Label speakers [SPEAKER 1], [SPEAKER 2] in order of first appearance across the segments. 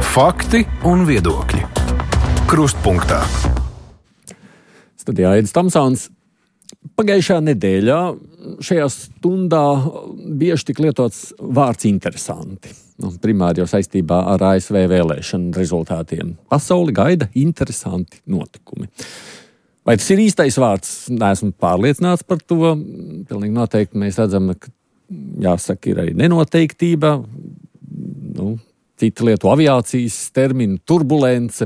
[SPEAKER 1] Fakti un viedokļi. Krustpunktā.
[SPEAKER 2] Studijā Aidis Tomsons. Pagājušajā nedēļā šajā stundā bieži tik lietots vārds interesanti. Primāri jau saistībā ar ASV vēlēšanu rezultātiem. Pasauli gaida interesanti notikumi. Vai tas ir īstais vārds? Neesmu pārliecināts par to. Pilnīgi noteikti mēs redzam, ka jāsaka, ir arī nenoteiktība. Cita lietu aviācijas terminu turbulence.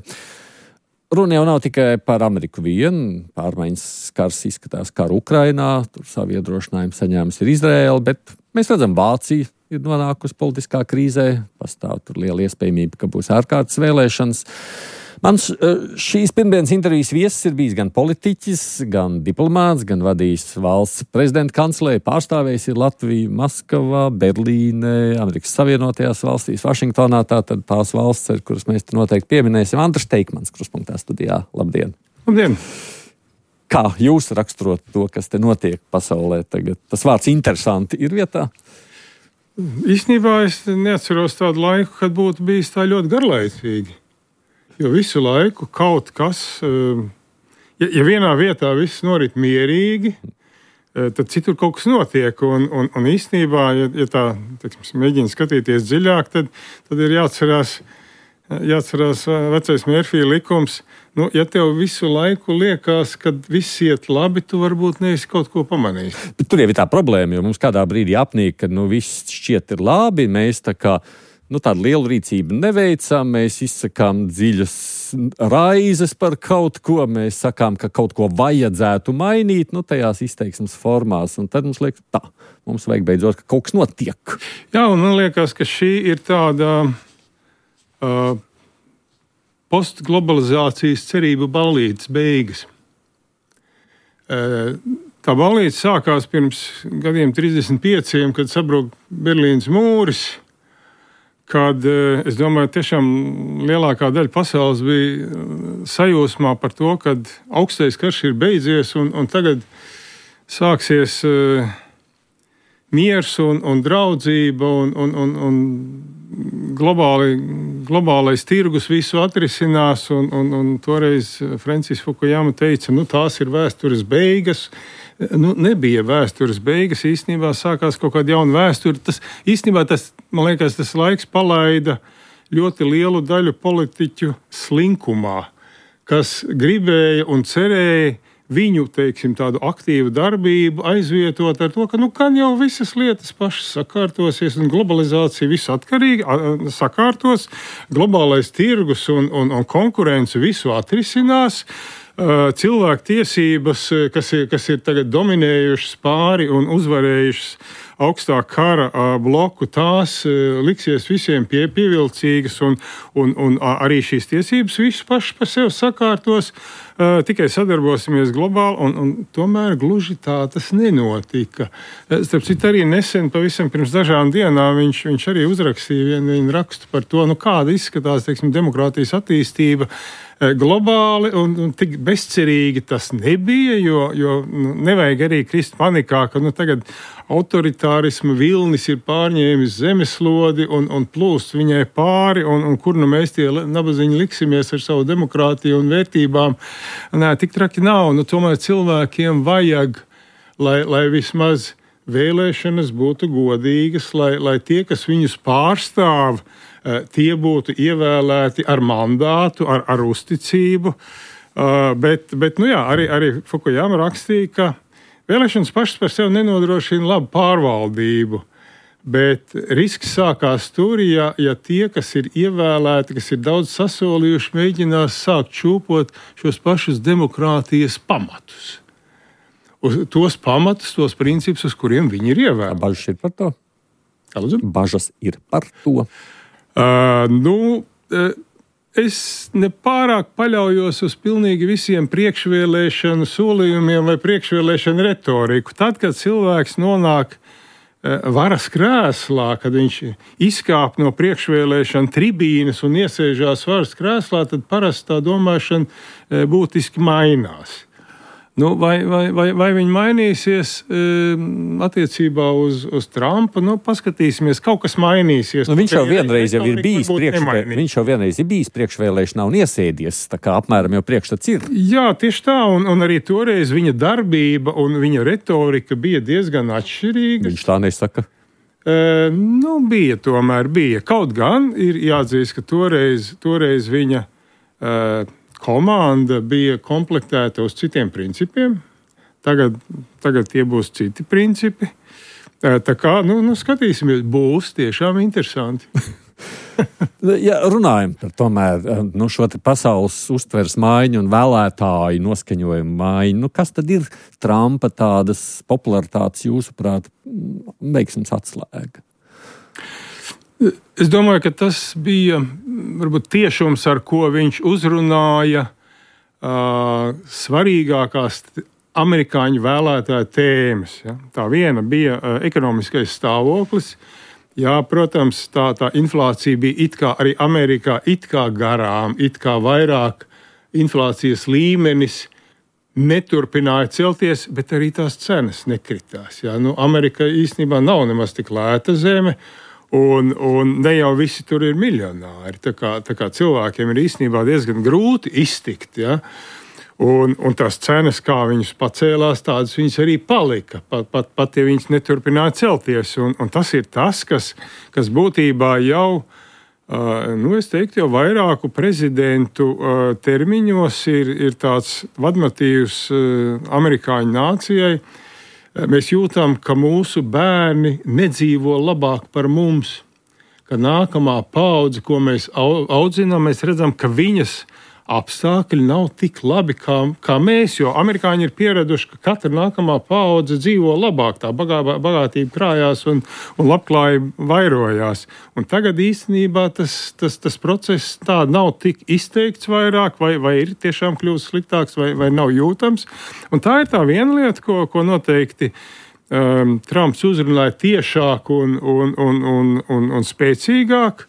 [SPEAKER 2] Runa jau nav tikai par Ameriku vienu. Pārmaiņas skars izskatās karu Ukrainā. Tur savu iedrošinājumu saņēmusi ir Izraēla, bet mēs redzam, Vācija ir nonākusi politiskā krīzē. Pastāv tur liela iespējamība, ka būs ārkārtas vēlēšanas. Mans šīs pirmdienas intervijas viesis ir bijis gan politiķis, gan diplomāts, gan vadījis valsts prezidenta kancelē, pārstāvējis ir Latviju, Maskavā, Berlīnē, Amerikas Savienotajās valstīs, Vašingtonā, tātad tās valsts, kuras mēs noteikti pieminēsim. Andris Teikmans, Krustpunktā studijā. Labdien!
[SPEAKER 3] Labdien!
[SPEAKER 2] Kā jūs raksturot to, kas te notiek pasaulē tagad? Tas vārds interesanti ir vietā?
[SPEAKER 3] Īstenībā es neatceros tādu laiku, kad būtu bijis tā ļoti garlaicīgi. Jo visu laiku kaut kas, ja vienā vietā viss norit mierīgi, tad citur kaut kas notiek. Un īstenībā, ja tā mēģina skatīties dziļāk, tad ir jāatcerās vecais Mērfija likums. Ja tev visu laiku liekas, ka viss iet labi, tu varbūt neesi kaut ko pamanījis.
[SPEAKER 2] Bet tur jau ir tā problēma, jo mums kādā brīdī apnīk, ka viss šķiet ir labi, mēs tā kā tādu lielu rīcību neveicām, mēs izsakām dziļas raizes par kaut ko, mēs sakām, ka kaut ko vajadzētu mainīt, tajās izteiksmes formās, un tad mums liekas, mums vajag beidzot, ka kaut kas notiek.
[SPEAKER 3] Jā, un man liekas, ka šī ir tāda postglobalizācijas cerību ballītes beigas. Tā ballīte sākās pirms gadiem 35, kad sabruka Berlīnas mūris, kad, es domāju, tiešām lielākā daļa pasaules bija sajūsmā par to, ka augstais karš ir beidzies un tagad sāksies miers un draudzība un globālais tirgus visu atrisinās. Un toreiz Francis Fukuyama teica, tās ir vēstures beigas. Nebija vēstures beigas, īstenībā sākās kaut kāda jauna vēsture. Man liekas, tas laiks palaida ļoti lielu daļu politiķu slinkumā, kas gribēja un cerēja viņu, tādu aktīvu darbību aizvietot ar to, ka kan jau visas lietas pašas sakārtosies un globalizācija visu atkarīgi sakārtos, globālais tirgus un konkurence visu atrisinās. Cilvēku tiesības, kas ir tagad dominējušas pāri un uzvarējušas augstā kara bloku, tās liksies visiem pievilcīgas un arī šīs tiesības visu paši par sevi sakārtos, tikai sadarbosimies globāli, un tomēr gluži tā tas nenotika. Starp citu, arī nesen, pavisam pirms dažām dienām, viņš arī uzrakstīja vienu rakstu par to, kāda izskatās, demokrātijas attīstība globāli, un tik bezcerīgi tas nebija, jo nevajag arī krist panikā, ka tagad autoritārisma vilnis ir pārņēmis zemeslodi un plūst viņai pāri, un kur mēs tie nabaziņi liksimies ar savu demokrātiju un vērtībām. Nē, tik traki nav. Tomēr cilvēkiem vajag, lai vismaz vēlēšanas būtu godīgas, lai tie, kas viņus pārstāv, tie būtu ievēlēti ar mandātu, ar uzticību. Bet arī Fukuyama rakstīja, ka vēlēšanas pašas par sevi nenodrošina labu pārvaldību, bet risks sākās tur, ja tie, kas ir ievēlēti, kas ir daudz sasolījuši, mēģinās sākt čūpot šos pašus demokrātijas pamatus. Uz tos pamatus, tos principus, uz kuriem viņi ir ievēlēti.
[SPEAKER 2] Bažas ir par to? Bažas ir par to.
[SPEAKER 3] Es nepārāk paļaujos uz pilnīgi visiem priekšvēlēšanu solījumiem vai priekšvēlēšanu retoriku. Tad, kad cilvēks nonāk varas krēslā, kad viņš izkāp no priekšvēlēšana tribīnes un iesēžās varas krēslā, tad parasti tā domāšana būtiski mainās. Nu, vai viņi mainīsies attiecībā uz Trumpu? Nu, paskatīsimies, kaut kas mainīsies.
[SPEAKER 2] Nu, viņš jau vienreiz ir bijis priekšvēlēšanā un iesēdies, tā kā apmēram jau priekšstats ir.
[SPEAKER 3] Jā, tieši tā, un arī toreiz viņa darbība un viņa retorika bija diezgan atšķirīga.
[SPEAKER 2] Viņš tā nesaka.
[SPEAKER 3] Bija. Kaut gan ir jāatzīst, ka toreiz viņa komanda bija komplektēta uz citiem principiem. Tagad tie būs citi principi. Tā kā, skatīsimies, būs tiešām interesanti.
[SPEAKER 2] Ja runājam par tomēr šo te pasaules uztveres maiņu un vēlētāju noskaņojumu maiņu, kas tad ir Trumpa tādas popularitātes jūsuprāt veiksmes atslēga?
[SPEAKER 3] Es domāju, ka tas bija varbūt tiešums, ar ko viņš uzrunāja svarīgākās amerikāņu vēlētāju tēmas. Ja? Tā viena bija ekonomiskais stāvoklis. Jā, protams, tā inflācija bija it kā arī Amerikā it kā garām, it kā vairāk inflācijas līmenis neturpināja celties, bet arī tās cenas nekritās. Ja? Amerika īstenībā nav nemaz tik lēta zeme. Un ne jau visi tur ir miljonāri. Tā kā cilvēkiem ir īstenībā diezgan grūti iztikt. Ja? Un tās cenas, kā viņas pacēlās, tādas viņas arī palika. Pat ja viņas neturpināja celties. Un tas ir tas, kas būtībā jau, es teiktu, jau vairāku prezidentu termiņos ir tāds vadmotīvs amerikāņu nācijai. Mēs jūtam, ka mūsu bērni nedzīvo labāk par mums, ka nākamā paudze, ko mēs audzinām, mēs redzam, ka viņas apstākļi nav tik labi kā mēs, jo amerikāņi ir pieraduši, ka katra nākamā paudze dzīvo labāk, tā bagātība krājās un labklājība vairojās. Un tagad īstenībā tas process tā nav tik izteikts vairāk, vai ir tiešām kļūst sliktāks, vai nav jūtams. Un tā ir tā viena lieta, ko noteikti Trumps uzrunāja tiešāk un spēcīgāk.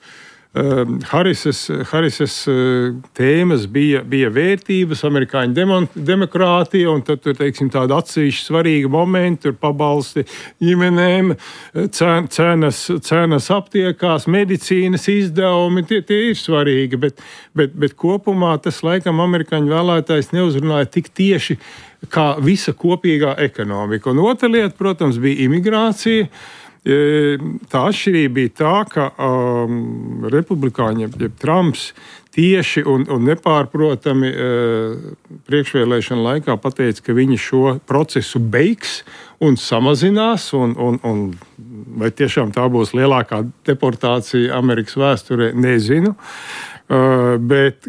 [SPEAKER 3] Harisas tēmas bija vērtības, amerikāņu demokrātija, un tad tur, teiksim, tāda atsevišķa svarīga momenta, tur pabalsti ģimenēm, cenas aptiekās, medicīnas izdevumi, tie ir svarīgi, bet kopumā tas laikam amerikāņu vēlētājs neuzrunāja tik tieši kā visa kopīgā ekonomika. Un otra lieta, protams, bija imigrācija. Tā atšķirība bija tā, ka republikāņi, jeb Trumps, tieši un nepārprotami priekšvēlēšana laikā pateica, ka viņi šo procesu beigs un samazinās, un vai tiešām tā būs lielākā deportācija Amerikas vēsturē, nezinu. Bet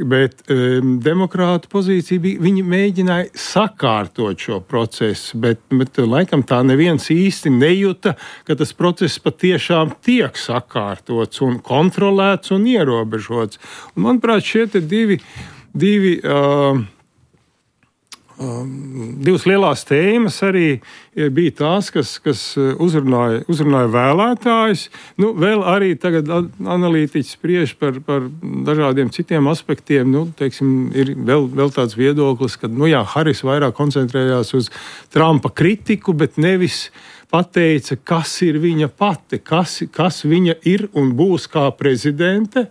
[SPEAKER 3] demokrātu pozīcija bija, viņi mēģināja sakārtot šo procesu, bet laikam tā neviens īsti nejuta, ka tas process patiešām tiek sakārtots un kontrolēts un ierobežots. Un, manuprāt, šie te divas lielās tēmas arī bija tās, kas uzrunāja vēlētājus. Vēl arī tagad analītiķi spriež par dažādiem citiem aspektiem. Teiksim, ir vēl tāds viedoklis, ka Haris vairāk koncentrējās uz Trumpa kritiku, bet nevis pateica, kas ir viņa pati, kas viņa ir un būs kā prezidente,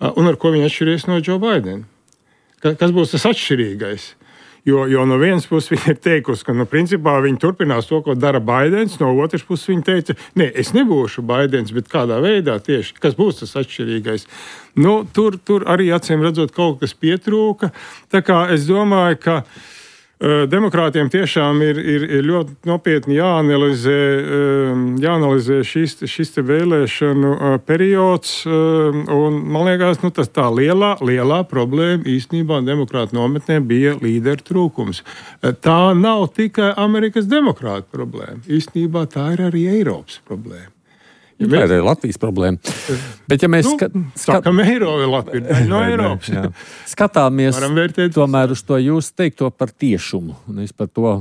[SPEAKER 3] un ar ko viņa atšķiries no Joe Bidena. Kas būs tas atšķirīgais? Jo no vienas puses viņa ir teikusi, ka principā viņa turpinās to, ko dara Baidens, no otras puses viņa teica, es nebūšu Baidens, bet kādā veidā tieši, kas būs tas atšķirīgais. Tur arī acīm redzot kaut kas pietrūka. Tā kā es domāju, ka demokrātiem tiešām ir ļoti nopietni jāanalizē šis te vēlēšanu periods, un man liekas, tas tā lielā problēma īstenībā demokrātu nometnē bija līderu trūkums. Tā nav tikai Amerikas demokrātu problēma, īstenībā tā ir arī Eiropas problēma.
[SPEAKER 2] Tā ir Latvijas problēma. Bet ja mēs
[SPEAKER 3] sakam Latvija no Eiropas.
[SPEAKER 2] Skatāmies tomēr uz to jūs teikto par tiešumu. Un es par to.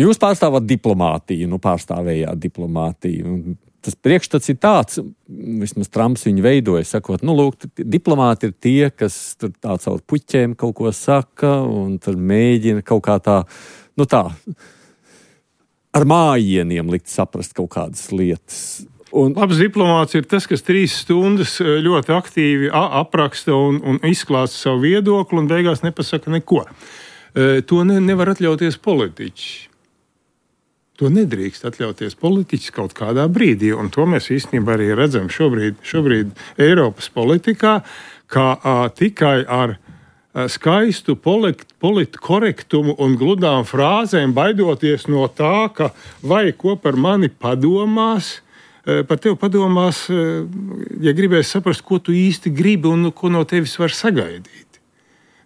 [SPEAKER 2] Jūs pārstāvat diplomātiju, pārstāvējāt diplomātiju. tas priekšstats ir tāds, vismaz Trumps viņu veidoja, sakot, lūk, diplomāti ir tie, kas tur tā caur puķiem kaut ko saka, un tur mēģina kaut kā tā, ar mājieniem likt saprast kaut kādas lietas.
[SPEAKER 3] Labs diplomāts ir tas, kas 3 stundas ļoti aktīvi apraksta un izklāsta savu viedokli un beigās nepasaka neko. To nevar atļauties politiķi. To nedrīkst atļauties politiķis kaut kādā brīdī, un to mēs īstenībā arī redzam šobrīd Eiropas politikā, kā tikai ar skaistu politkorektumu un gludām frāzēm, baidoties no tā, ka vai ko par mani padomās, par tevi padomās, ja gribēs saprast, ko tu īsti gribi un ko no tevis var sagaidīt.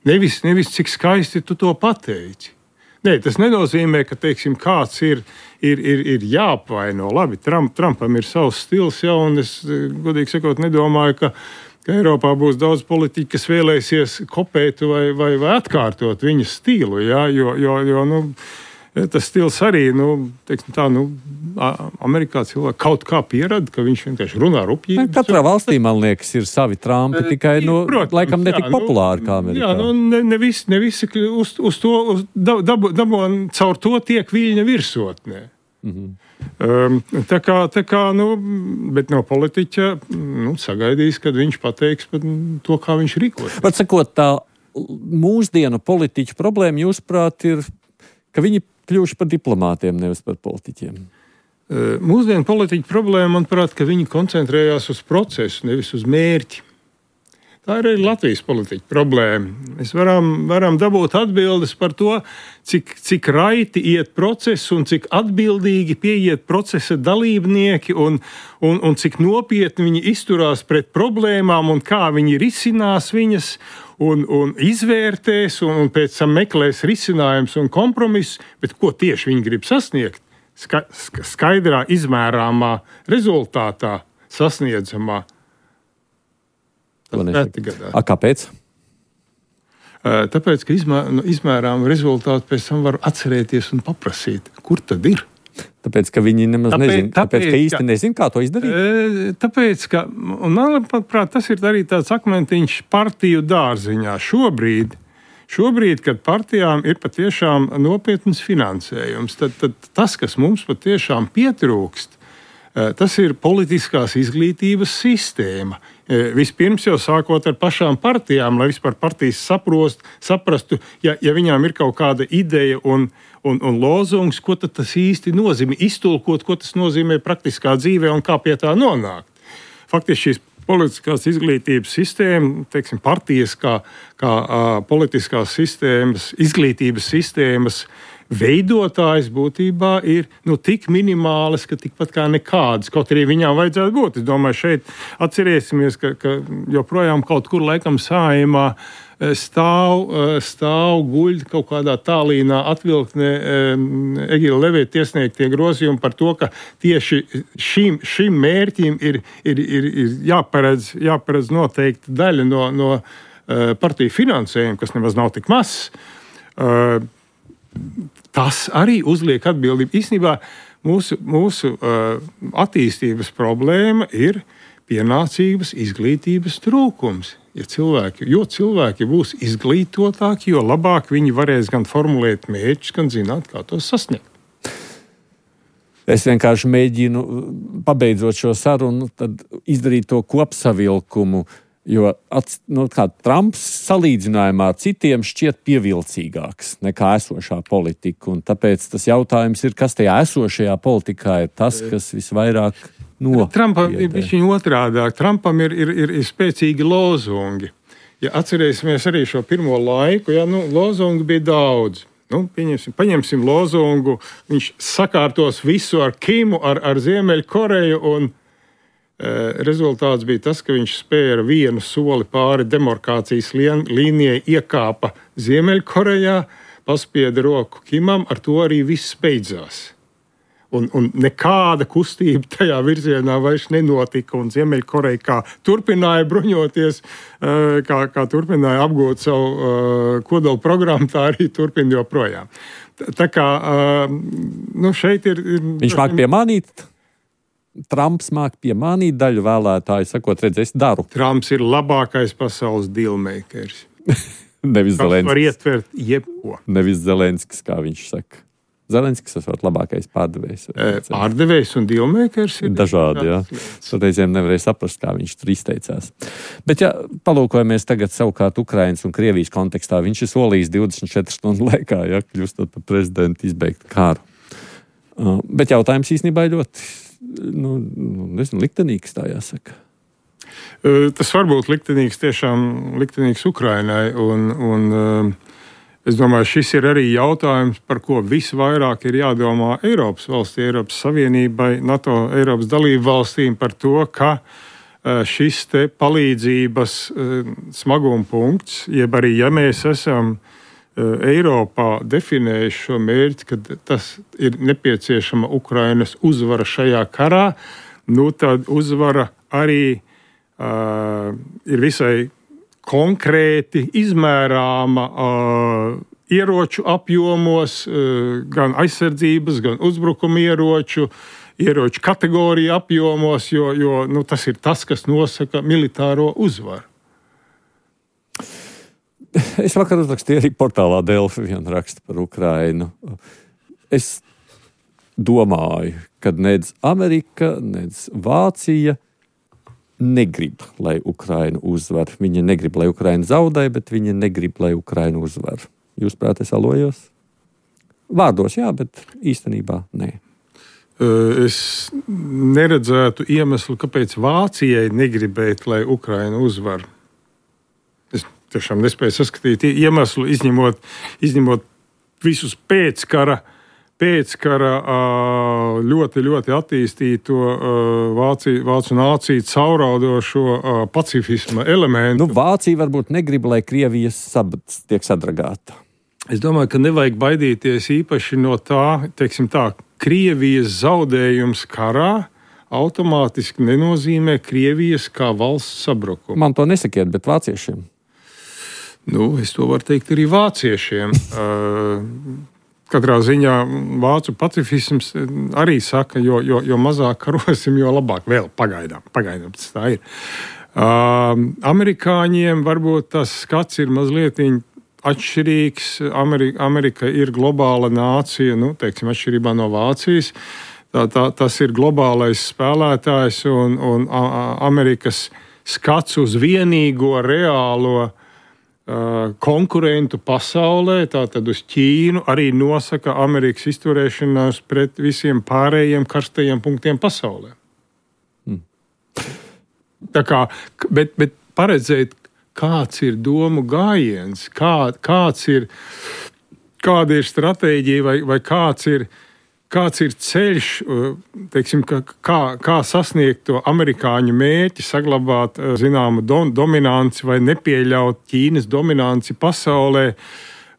[SPEAKER 3] Nevis cik skaisti tu to pateici. Nē, tas nenozīmē, ka, teiksim, kāds ir jāapvaino. Labi, Trumpam ir savs stils, un es, godīgi sakot, nedomāju, ka Eiropā būs daudz politiķi, kas vēlēsies kopēt vai atkārtot viņa stilu, jo tas stils arī, teiksim tā, Amerikā cilvēki kaut kā pierada, ka viņš vienkārši runā rupjīgi.
[SPEAKER 2] Katrā valstī, man liekas, ir savi Trumpi, tikai, laikam netik populāri kā Amerikā.
[SPEAKER 3] Jā, ne visi uz to dabon caur to tiek viļņa virsotnē. Tā kā, bet no politiķa, sagaidīs, kad viņš pateiks par to, kā viņš rīkojas.
[SPEAKER 2] Var sakot, tā mūsdienu politiķu problēma, jūsuprāt, ir, ka viņi kļuvuši par diplomātiem, nevis par politiķiem?
[SPEAKER 3] Mūsdienu politiķu problēma, manuprāt, ka viņi koncentrējās uz procesu, nevis uz mērķi. Tā ir arī Latvijas politiķu problēma. Mēs varam dabūt atbildes par to, cik raiti iet procesu un cik atbildīgi pieiet procesa dalībnieki un cik nopietni viņi izturās pret problēmām un kā viņi risinās viņas un izvērtēs un pēc tam meklēs risinājums un kompromiss, bet ko tieši viņi grib sasniegt? Skaidrā, izmērāmā rezultātā sasniedzamā.
[SPEAKER 2] Kāpēc?
[SPEAKER 3] Tāpēc, ka izmērām rezultātu pēc tam var atcerēties un paprasīt, kur tad ir.
[SPEAKER 2] Tāpēc, ka viņi nemaz nezina, tāpēc, ka īsti nezina, kā to izdarīt?
[SPEAKER 3] Tāpēc, ka, un manuprāt, tas ir arī tāds akmentiņš partiju dārziņā. Šobrīd, kad partijām ir patiešām nopietns finansējums, tad tas, kas mums patiešām pietrūkst, tas ir politiskās izglītības sistēma. Vispirms jau sākot ar pašām partijām, lai vispār partijas saprastu, ja viņām ir kaut kāda ideja un lozungs, ko tad tas īsti nozīmē, iztulkot, ko tas nozīmē praktiskā dzīvē un kā pie tā nonākt. Faktiski šīs politiskās izglītības sistēma, teiksim, partijas kā politiskās sistēmas, izglītības sistēmas veidotājs būtībā ir tik minimālas, ka tikpat kā nekādas, kaut arī viņām vajadzētu būt. Es domāju, šeit atcerēsimies, ka joprojām kaut kur laikam Saeimā stāv guļ kaut kādā tālīnā atvilktnē Egila Levita iesniegtie grozījumi par to, ka tieši šim mērķim ir jāparedz noteikti daļa no partiju finansējuma, kas nemaz nav tik mazs. Tas arī uzliek atbildību. Īstenībā mūsu attīstības problēma ir pienācīgas izglītības trūkums. Jo cilvēki būs izglītotāki, jo labāk viņi varēs gan formulēt mērķus, gan zināt, kā tos sasniegt.
[SPEAKER 2] Es vienkārši mēģinu, pabeidzot šo sarunu, tad izdarīt to kopsavilkumu, jo Trumps salīdzinājumā ar citiem šķiet pievilcīgāks nekā esošā politika. Un tāpēc tas jautājums ir, kas tajā esošajā politikā ir tas, kas visvairāk
[SPEAKER 3] Trumpam ir bišķiņ otrādāk. Trumpam ir spēcīgi lozungi. Ja atcerēsimies arī šo pirmo laiku, lozungi bija daudz. Paņemsim lozungu, viņš sakārtos visu ar Kimu, ar Ziemeļkoreju, un rezultāts bija tas, ka viņš spēja ar vienu soli pāri demarkācijas līnijai, iekāpa Ziemeļkorejā, paspieda roku Kimam, ar to arī viss beidzās. Un nekāda kustība tajā virzienā vairs nenotika, un Ziemeļkoreja kā turpināja bruņoties, kā turpināja apgūt savu kodolu programmu, tā arī turpina joprojām. Tā kā, šeit ir...
[SPEAKER 2] Viņš māk piemānīt? Trumps māk piemānīt daļu vēlētāju, sakot, redz, es daru.
[SPEAKER 3] Trumps ir labākais pasaules dealmakers.
[SPEAKER 2] Nevis Zelenskis.
[SPEAKER 3] Var ietvert jebko.
[SPEAKER 2] Nevis Zelenskis, kā viņš saka. Zelenskis esot labākais pārdevējs.
[SPEAKER 3] Pārdevējs un dealmakers ir
[SPEAKER 2] dažādi, jā. Reizēm nevarēja saprast, kā viņš tur izteicās. Bet, ja palūkojamies tagad savukārt Ukrainas un Krievijas kontekstā, viņš ir solījis 24 stundu laikā, ja, kļūstot par prezidentu, izbeigt kāru. Bet jautājums īstenībā ir ļoti, liktenīgs, tā jāsaka.
[SPEAKER 3] Tas var būt liktenīgs, tiešām liktenīgs Ukrainai, un es domāju, šis ir arī jautājums, par ko visvairāk ir jādomā Eiropas valstī, Eiropas Savienībai, NATO, Eiropas dalību valstīm par to, ka šis te palīdzības smaguma punkts, jeb arī, ja mēs esam Eiropā definējuši šo mērķi, ka tas ir nepieciešama Ukrainas uzvara šajā karā, tad uzvara arī ir visai konkrēti izmērāma ieroču apjomos, gan aizsardzības, gan uzbrukuma ieroču kategoriju apjomos, jo tas ir tas, kas nosaka militāro uzvaru.
[SPEAKER 2] Es vakar uzrakstīju arī portālā Delfi vienu rakstu par Ukrainu. Es domāju, ka nec Amerika, nec Vācija negrib, lai Ukraina uzvar. Viņa negrib, lai Ukraina zaudē, bet viņa negrib, lai Ukraina uzvar. Jūs prāt, es alojos? Vārdos jā, bet īstenībā nē.
[SPEAKER 3] Es neredzētu iemeslu, kāpēc Vācijai negribēt, lai Ukraina uzvar. Es tiešām nespēju saskatīt iemeslu, izņemot visus pēckara ļoti, ļoti attīstīto vācu nāciju cauraudošo pacifisma elementu.
[SPEAKER 2] Vācija varbūt negrib, lai Krievija tiek sadragāta.
[SPEAKER 3] Es domāju, ka nevajag baidīties īpaši no tā, Krievijas zaudējums karā automātiski nenozīmē Krievijas kā valsts sabrukumu.
[SPEAKER 2] Man to nesakiet, bet vāciešiem.
[SPEAKER 3] Es to varu teikt arī vāciešiem. Katrā ziņā vācu pacifisms arī saka, jo mazāk karosim, jo labāk. Vēl pagaidām tas tā ir. Amerikāņiem varbūt tas skats ir mazliet atšķirīgs. Amerika ir globāla nācija, atšķirībā no Vācijas. Tas ir globālais spēlētājs un Amerikas skats uz vienīgo reālo konkurentu pasaulē, tātad uz Ķīnu, arī nosaka Amerikas izturēšanās pret visiem pārējiem karstajiem punktiem pasaulē. Bet paredzēt, kāds ir domu gājiens, kāda ir stratēģija vai kāds ir ceļš, kā sasniegt to amerikāņu mērķi, saglabāt zināmu dominanci vai nepieļaut Ķīnas dominanci pasaulē.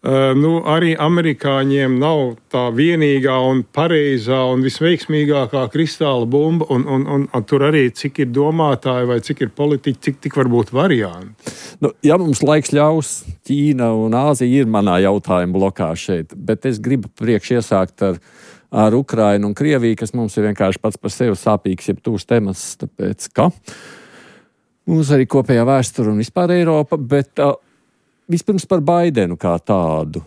[SPEAKER 3] Arī amerikāņiem nav tā vienīgā un pareizā un visveiksmīgākā kristāla bumba, un tur arī cik ir domātāji vai cik ir politiķi, tik var būt varianti.
[SPEAKER 2] Ja mums laiks ļaus, Ķīna un Āzija ir manā jautājuma blokā šeit, bet es gribu priekš iesākt ar Ukrainu un Krieviju, kas mums ir vienkārši pats par sevi sāpīgs, jeb tūs temats, tāpēc ka mums arī kopējā vēsture un vispār Eiropa, bet vispirms par Baidenu kā tādu.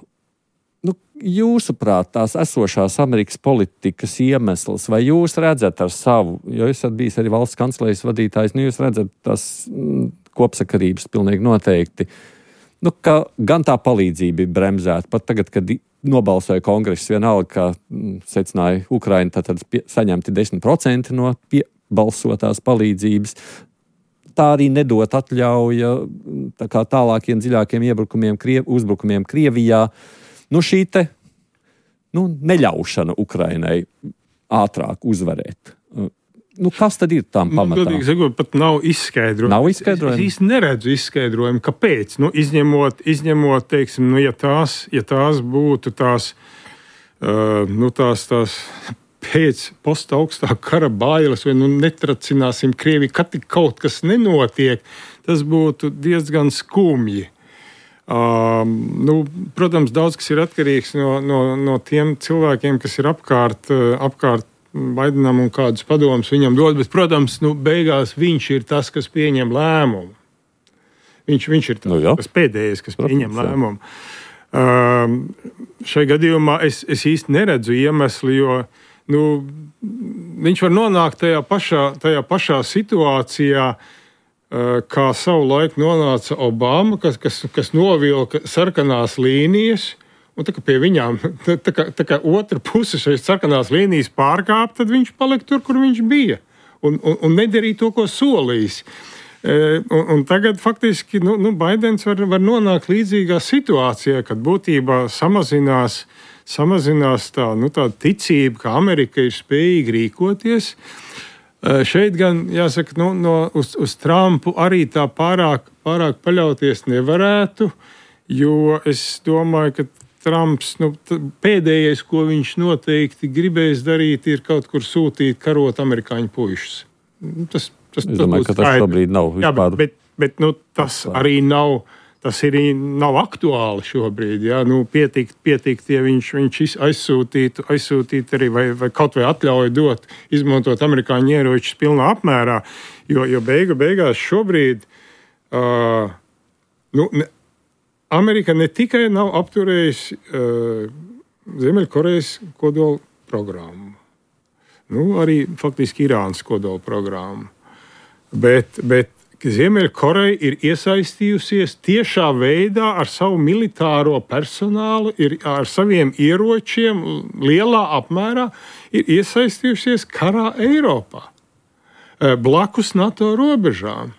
[SPEAKER 2] Jūsuprāt, tās esošās Amerikas politikas iemesls, vai jūs redzat ar savu, jo esat bijis arī valsts kancelejas vadītājs, jūs redzat tās kopsakarības pilnīgi noteikti, ka gan tā palīdzība ir bremzēta, pat tagad, kad nobalsoja kongress vienalga, ka secināja Ukraina, tad saņemti 10% no balsotās palīdzības. Tā arī nedot atļauja tālākiem dziļākiem uzbrukumiem Krievijā. Šī te neļaušana Ukrainai ātrāk uzvarēt. Kas tad ir tam pamatā?
[SPEAKER 3] Godīgi sakot, pat nav izskaidrojumi.
[SPEAKER 2] Nav izskaidrojumi?
[SPEAKER 3] Es īsti neredzu izskaidrojumu, kāpēc. Izņemot, ja tās būtu tās pēc postaugstā kara bailes, vai netracināsim Krieviju, kad tik kaut kas nenotiek, tas būtu diezgan skumji. Protams, daudz kas ir atkarīgs no tiem cilvēkiem, kas ir apkārt Baidenam un kādus padomus viņam dod, bet, protams, beigās viņš ir tas, kas pieņem lēmumu. Viņš ir tas pēdējais, kas pieņem lēmumu. Šai gadījumā es īsti neredzu iemeslu, jo viņš var nonākt tajā pašā situācijā, kā savu laiku nonāca Obama, kas novilka sarkanās līnijas, un tā kā pie viņām, tā kā otra puse šeit sarkanās līnijas pārkāp, tad viņš palika tur, kur viņš bija, un nedarīja to, ko solījis. Un tagad faktiski Baidens var nonākt līdzīgā situācijā, kad būtībā samazinās tā ticība, ka Amerika ir spējīga rīkoties. Šeit gan, jāsaka, uz Trumpu arī tā pārāk paļauties nevarētu, jo es domāju, ka Trumps pēdējais, ko viņš noteikti gribēs darīt, ir kaut kur sūtīt karot amerikāņu puišus.
[SPEAKER 2] Es domāju, ka tas šobrīd nav vispār.
[SPEAKER 3] Jā, bet tas arī nav aktuāli šobrīd. Jā. Pietikt, ja viņš aizsūtītu arī vai kaut vai atļauju dot, izmantot amerikāņu ieročus pilnā apmērā, jo beigās šobrīd Amerika ne tikai nav apturējusi Ziemeļkorejas kodola programmu, arī faktiski Irānas kodola programmu. Bet Ziemeļkoreja ir iesaistījusies tiešā veidā ar savu militāro personālu, ar saviem ieročiem lielā apmērā ir iesaistījusies karā Eiropā, blakus NATO robežām.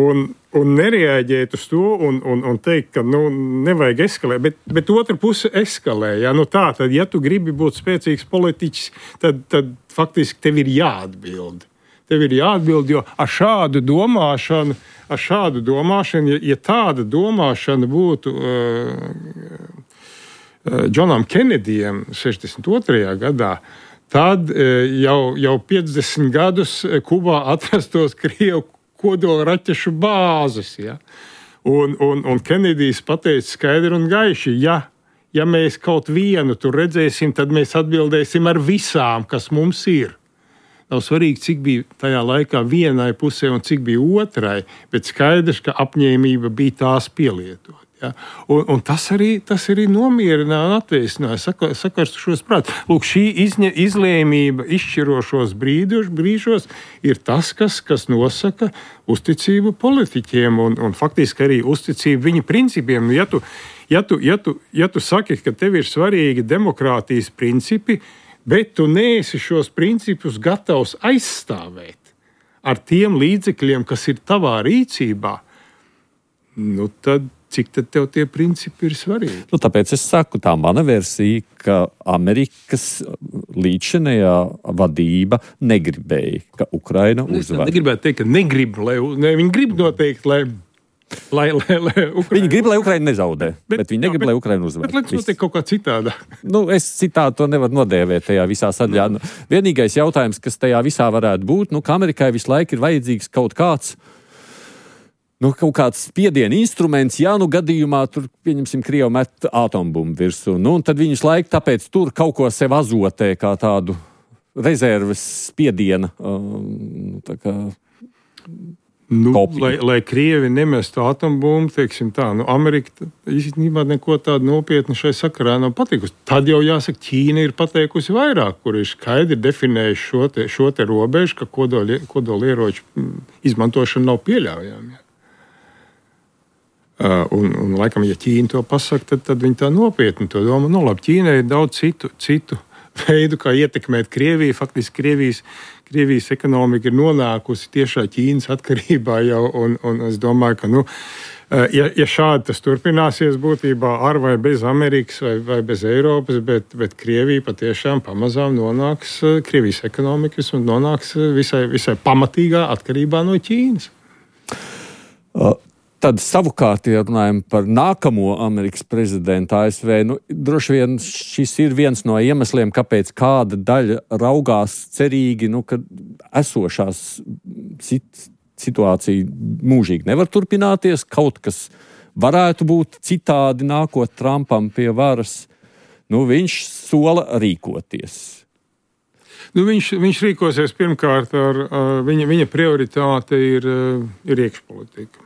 [SPEAKER 3] Un nereaģēt uz to un teikt, ka nevajag eskalēt, bet otra puse eskalē. Ja? Tad, ja tu gribi būt spēcīgs politiķis, tad faktiski tev ir jāatbild. Jo ar šādu domāšanu, ja tāda domāšana būtu Džonam Kenedijam 62. gadā, tad jau 50 gadus Kubā atrastos Krievu kodola raķešu bāzes. Ja? Un Kenedijs pateica skaidri un gaiši, ja mēs kaut vienu tur redzēsim, tad mēs atbildēsim ar visām, kas mums ir. Nav svarīgi, cik bija tajā laikā vienai pusē un cik bija otrai, bet skaidrs, ka apņēmība bija tās pielietot. Ja? Un tas arī nomierināja un atvēsināja sakarstušos prātus. Lūk, šī izlēmība izšķirošos brīžos ir tas, kas nosaka uzticību politiķiem un faktiski arī uzticību viņu principiem. Ja tu saki, ka tev ir svarīgi demokrātijas principi, bet tu neesi šos principus gatavs aizstāvēt ar tiem līdzekļiem, kas ir tavā rīcībā, tad cik tad tev tie principi ir svarīgi?
[SPEAKER 2] Tāpēc es saku, tā mana versija, ka Amerikas līdzinējā vadība negribēja, ka Ukraina uzvar.
[SPEAKER 3] Es negribētu teikt, ka negrib, viņi grib noteikti, lai Ukraina...
[SPEAKER 2] Viņi grib, lai Ukraina nezaudē, bet viņi negrib, lai Ukraina uzvar.
[SPEAKER 3] Bet lai notiek kaut kā citādā.
[SPEAKER 2] Es citādi to nevaru nodēvēt tajā visā sadaļā. Vienīgais jautājums, kas tajā visā varētu būt, ka Amerikai visu laiku ir vajadzīgs kaut kāds spiediena instruments, gadījumā tur, pieņemsim, Krievu met atombumbu virsū. Un tad viņus laiku tāpēc tur kaut ko sev azotē kā tādu rezerves spiediena.
[SPEAKER 3] Lai Krievi nemestu atombumbu, teiksim tā, Amerika īstenībā neko tādu nopietnu šai sakarā nav pateikusi. Tad jau jāsaka, Ķīna ir pateikusi vairāk, kur ir skaidri definējuši šo te robežu, ka kodolieroču izmantošana nav pieļaujama. Un laikam, ja Ķīna to pasaka, tad viņi tā nopietni to domā. Labi, Ķīnai ir daudz citu veidu, kā ietekmēt Krieviju. Faktiski Krievijas ekonomika ir nonākusi tiešā Ķīnas atkarībā jau, un es domāju, ka, ja šādi tas turpināsies būtībā ar vai bez Amerikas vai bez Eiropas, bet Krievija patiešām pamazām nonāks Krievijas ekonomikas un nonāks visai pamatīgā atkarībā no Ķīnas.
[SPEAKER 2] Tad savukārt, ja runājam par nākamo Amerikas prezidentu ASV, droši vien šis ir viens no iemesliem, kāpēc kāda daļa raugās cerīgi, ka esošās situācija mūžīgi nevar turpināties, kaut kas varētu būt citādi nākot Trumpam pie varas. Viņš sola rīkoties.
[SPEAKER 3] Nu, viņš rīkosies pirmkārt viņa prioritāte ir iekšpolitika.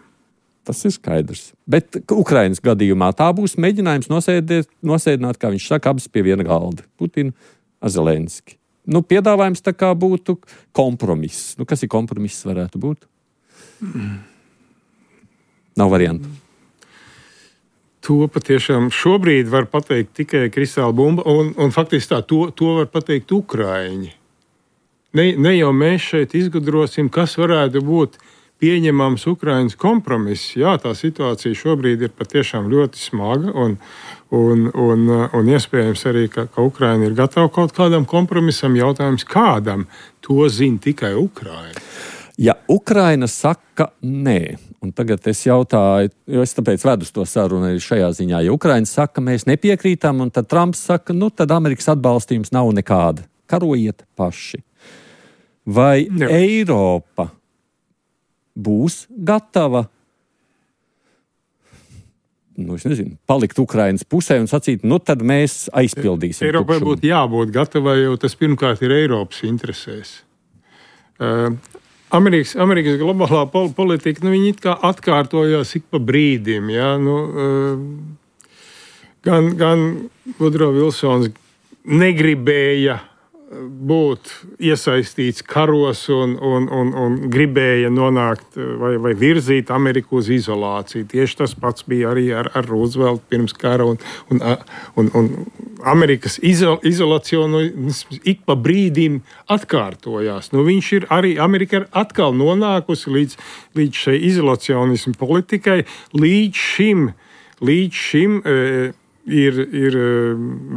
[SPEAKER 2] Tas ir skaidrs. Bet Ukrainas gadījumā tā būs mēģinājums nosēdināt, kā viņš saka, abas pie viena galda. Putinu ar Zelenski. Piedāvājums tā kā būtu kompromiss. Kas ir kompromiss varētu būt? Nav variantu.
[SPEAKER 3] To patiešām šobrīd var pateikt tikai kristāla bumba, un faktiski to var pateikt Ukraiņi. Ne jau mēs šeit izgudrosim, kas varētu būt pieņemams Ukrainas kompromiss. Jā, tā situācija šobrīd ir patiešām ļoti smaga, un iespējams arī, ka Ukraina ir gatava kaut kādam kompromisam. Jautājums kādam, to zina tikai Ukraina.
[SPEAKER 2] Ja Ukraina saka nē, un tagad es jautāju, jo es tāpēc vedu to sarunu arī šajā ziņā, ja Ukraina saka, mēs nepiekrītam, un tad Trumps saka, tad Amerikas atbalstījums nav nekāda. Karojiet paši. Vai Eiropa būs gatava palikt Ukrainas pusē un sacīt, tad mēs aizpildīsim.
[SPEAKER 3] Eiropai būtu jābūt gatavai, jo tas pirmkārt ir Eiropas interesēs. Amerikas globālā politika, viņi it kā atkārtojās ik pa brīdim. Ja? Gan Woodrow Wilsons negribēja būt iesaistīts karos un gribēja nonākt vai virzīt Ameriku uz izolāciju. Tieši tas pats bija arī ar Rooseveltu pirms kara, un Amerikas izolacionisms ik pa brīdim atkārtojās. Viņš ir arī, Amerika ir atkal nonākusi līdz šai izolacionismu politikai. Līdz šim ir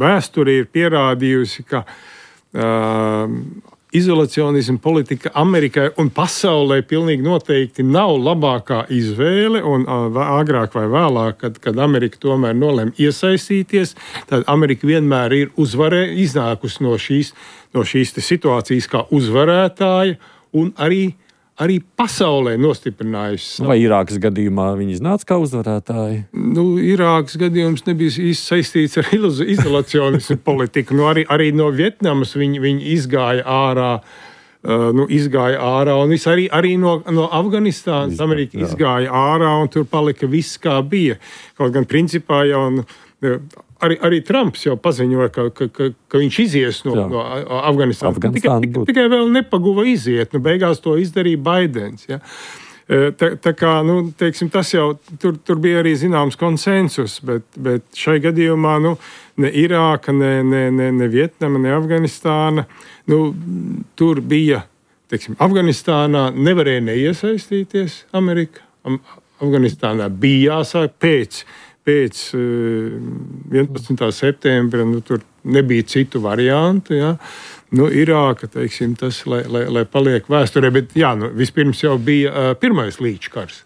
[SPEAKER 3] vēsture ir pierādījusi, ka izolacionisma politika Amerikai un pasaulē pilnīgi noteikti nav labākā izvēle, un agrāk vai vēlāk, kad Amerika tomēr nolem iesaistīties, tad Amerika vienmēr ir iznākusi no šīs situācijas kā uzvarētāja un arī pasaulē nostiprinājusi.
[SPEAKER 2] Vai Irākas gadījumā viņi iznāca kā uzvarētāji?
[SPEAKER 3] Irākas gadījums nebija īsti saistīts ar izolacionismu politiku. Arī no Vietnamas viņi izgāja ārā. Un arī no Afganistānas Amerika izgāja ārā, un tur palika viss kā bija. Kaut gan principā jau arī Trumps jau paziņoja, ka viņš izies no Afganistānas. Tikai vēl nepaguva iziet. Beigās to izdarīja Baidens. Ja? Tā kā, teiksim, tas jau tur bija arī zināms konsensus, bet šai gadījumā ne Irāka, ne Vietnama, ne Afganistāna. Tur bija, teiksim, Afganistānā nevarēja neiesaistīties Amerika. Afganistānā bija jāsāk pēc 11. septembra, tur nebija citu variantu. Ja? Irāka, teiksim, tas, lai paliek vēsturē, bet vispirms jau bija pirmais līčkars.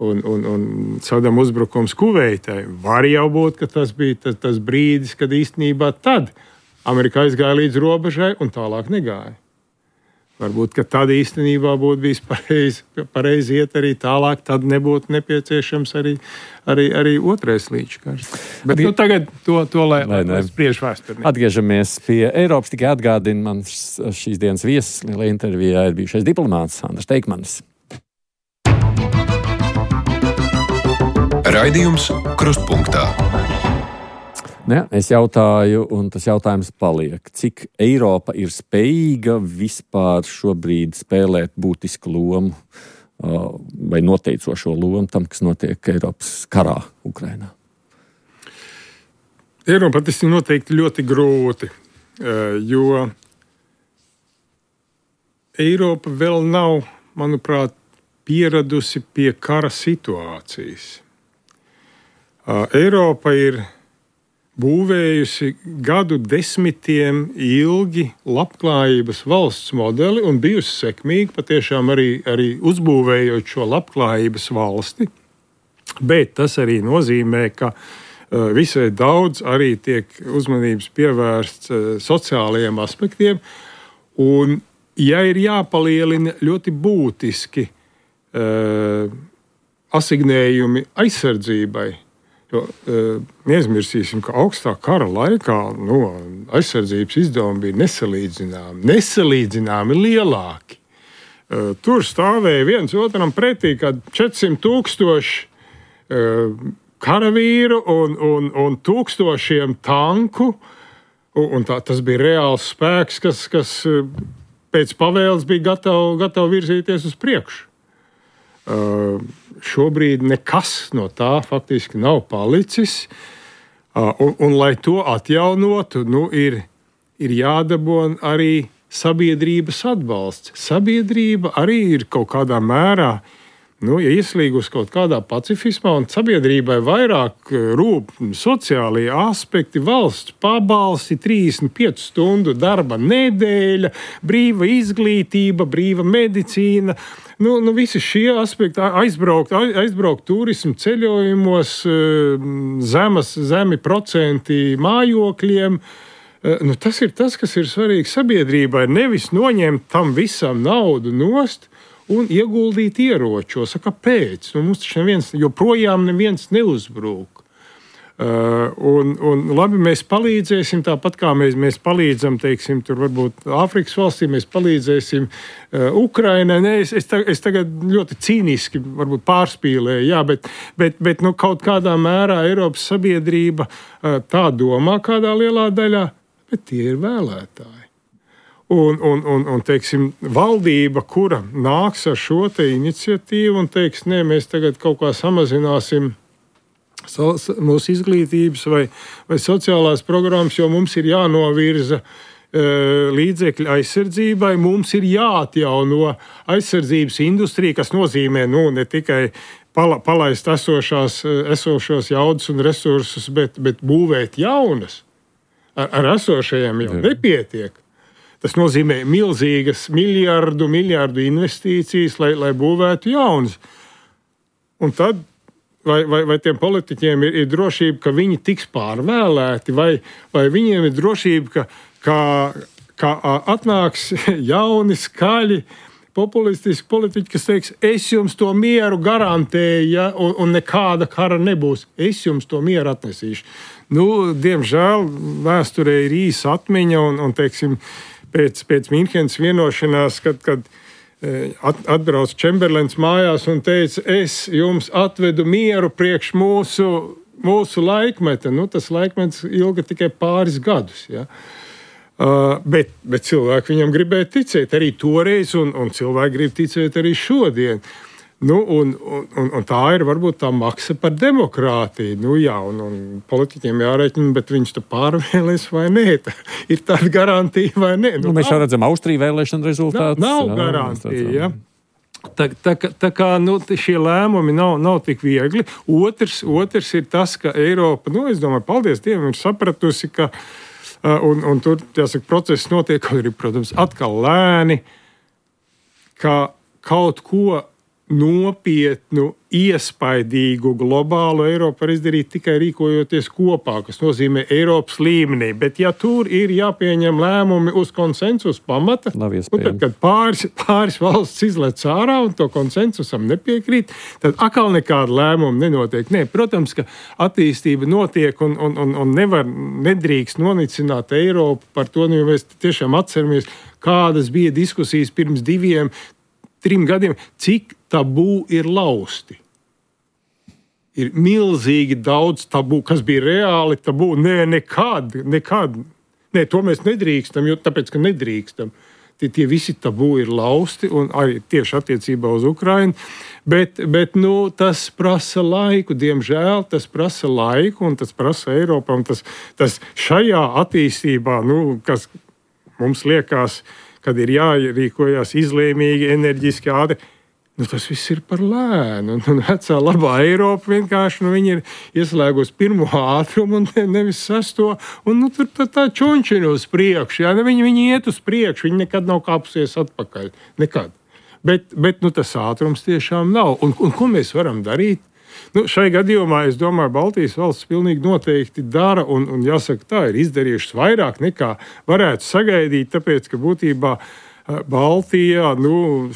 [SPEAKER 3] Un Sadam uzbrukums Kuveitai. Var jau būt, ka tas bija tas brīdis, kad īstenībā tad Amerika aizgāja līdz robežai un tālāk negāja. Varbūt, ka tad īstenībā būtu bijis pareizi iet arī tālāk, tad nebūtu nepieciešams arī otrais līčkars. Bet tagad to lai spriež vēsturnieki.
[SPEAKER 2] Atgriežamies pie Eiropas, tikai atgādina man šīs dienas viesis, lielajā intervijā ir bijušais diplomāts Andris Teikmanis.
[SPEAKER 1] Raidījums Krustpunktā.
[SPEAKER 2] Es jautāju, un tas jautājums paliek, cik Eiropa ir spējīga vispār šobrīd spēlēt būtisku lomu vai noteicošo lomu tam, kas notiek Eiropas karā Ukrainā?
[SPEAKER 3] Eiropa tas ir noteikti ļoti grūti, jo Eiropa vēl nav, manuprāt, pieradusi pie kara situācijas. Eiropa ir būvējusi gadu desmitiem ilgi labklājības valsts modeli un bijusi sekmīga, patiešām arī uzbūvējot šo labklājības valsti. Bet tas arī nozīmē, ka visai daudz arī tiek uzmanības pievērsts sociālajiem aspektiem. Un, ja ir jāpalielina ļoti būtiski asignējumi aizsardzībai, Jo neaizmirsīsim, ka augstā kara laikā aizsardzības izdevumi bija nesalīdzināmi lielāki. Tur stāvēja viens otram pretī, kad 400,000 karavīru un tūkstošiem tanku. Un tas bija reāls spēks, kas pēc pavēles bija gatava virzīties uz priekšu. Šobrīd nekas no tā faktiski nav palicis. Un lai to atjaunotu, ir jādabūna arī sabiedrības atbalsts. Sabiedrība arī ir kaut kādā mērā ieslīgusi kaut kādā pacifismā, un sabiedrībai vairāk rūp sociālie aspekti, valsts pabalsti, 35 stundu darba nedēļa, brīva izglītība, brīva medicīna. Visi šie aspekti, aizbraukt turismu ceļojumos, zemi procenti mājokļiem. Tas ir tas, kas ir svarīgi sabiedrībai. Nevis noņemt tam visam naudu nost un ieguldīt ieročos. Kāpēc? Mums taču joprojām neviens neuzbrūk. Labi, mēs palīdzēsim, tāpat kā mēs palīdzam, teiksim, tur varbūt Āfrikas valstīm, mēs palīdzēsim Ukrainai. Es tagad ļoti cīniski varbūt pārspīlēju, jā, bet kaut kādā mērā Eiropas sabiedrība tā domā kādā lielā daļā, bet tie ir vēlētāji. Un teiksim, valdība, kura nāks ar šo te iniciatīvu un teiks, nē, mēs tagad kaut kā samazināsim mūsu izglītības vai sociālās programmas, jo mums ir jānovirza līdzekļi aizsardzībai, mums ir jāatjauno aizsardzības industrija, kas nozīmē ne tikai palaist esošos jaudas un resursus, bet būvēt jaunas. Ar esošajiem jau nepietiek. Tas nozīmē milzīgas miljardu investīcijas, lai būvētu jaunas. Un tad vai tiem politiķiem ir drošība, ka viņi tiks pārvēlēti, vai viņiem ir drošība, ka atnāks jauni, skaļi, populistiski politiķi, kas teiks, es jums to mieru garantēju, ja, un nekāda kara nebūs. Es jums to mieru atnesīšu. Diemžēl vēsturē ir īsa atmiņa un teiksim, pēc Minhenes vienošanās, kad atbrauc Čemberlens mājās un teica, es jums atvedu mieru priekš mūsu laikmeta. Tas laikmets ilga tikai pāris gadus. Ja? Bet cilvēki viņam gribēja ticēt arī toreiz, un cilvēki grib ticēt arī šodien. Un tā ir varbūt tā maksa par demokrātiju. Un politiķiem jārēķina, bet viņš to pārvēlēs vai nē. Ir tāda garantija vai nē.
[SPEAKER 2] Mēs jau redzam Austriju vēlēšanu rezultātus.
[SPEAKER 3] Nav garantija. Ja? Tā kā šie lēmumi nav tik viegli. Otrs ir tas, ka Eiropa, es domāju, paldies Dievam, ir sapratusi, ka un tur, jāsaka, process notiek, arī, protams, atkal lēni, ka kaut ko nopietnu, iespaidīgu globālu Eiropu var izdarīt tikai rīkojoties kopā, kas nozīmē Eiropas līmenī. Bet ja tur ir jāpieņem lēmumi uz konsensus pamata, tad, kad pāris valsts izlec ārā un to konsensusam nepiekrīt, tad atkal nekāda lēmuma nenotiek. Nē, protams, ka attīstība notiek un nedrīkst nonicināt Eiropu par to, jo mēs tiešām atceramies, kādas bija diskusijas pirms 2-3 gadiem, cik tabū ir lausti. Ir milzīgi daudz tabū, kas bija reāli tabū. Nē, nekad. Nē, to mēs nedrīkstam, jo tāpēc, ka nedrīkstam. Tie visi tabū ir lausti, un arī tieši attiecībā uz Ukrainu. Bet tas prasa laiku, diemžēl tas prasa laiku, un tas prasa Eiropā. Un tas šajā attīstībā, kas mums liekas, kad ir jārīkojas izlēmīgi, enerģiski ātri, tas viss ir par lēnu. Un vecā labā Eiropa vienkārši viņi ir ieslēgusi pirmo ātrumu un nevis sesto. Un tur tā čončina uz priekšu. Ja? Viņi iet uz priekšu, viņi nekad nav kāpusies atpakaļ. Nekad. Bet tas ātrums tiešām nav. Un ko mēs varam darīt? Šai gadījumā, es domāju, Baltijas valsts pilnīgi noteikti dara, un jāsaka, tā ir izdarījušas vairāk nekā varētu sagaidīt, tāpēc, ka būtībā Baltijā,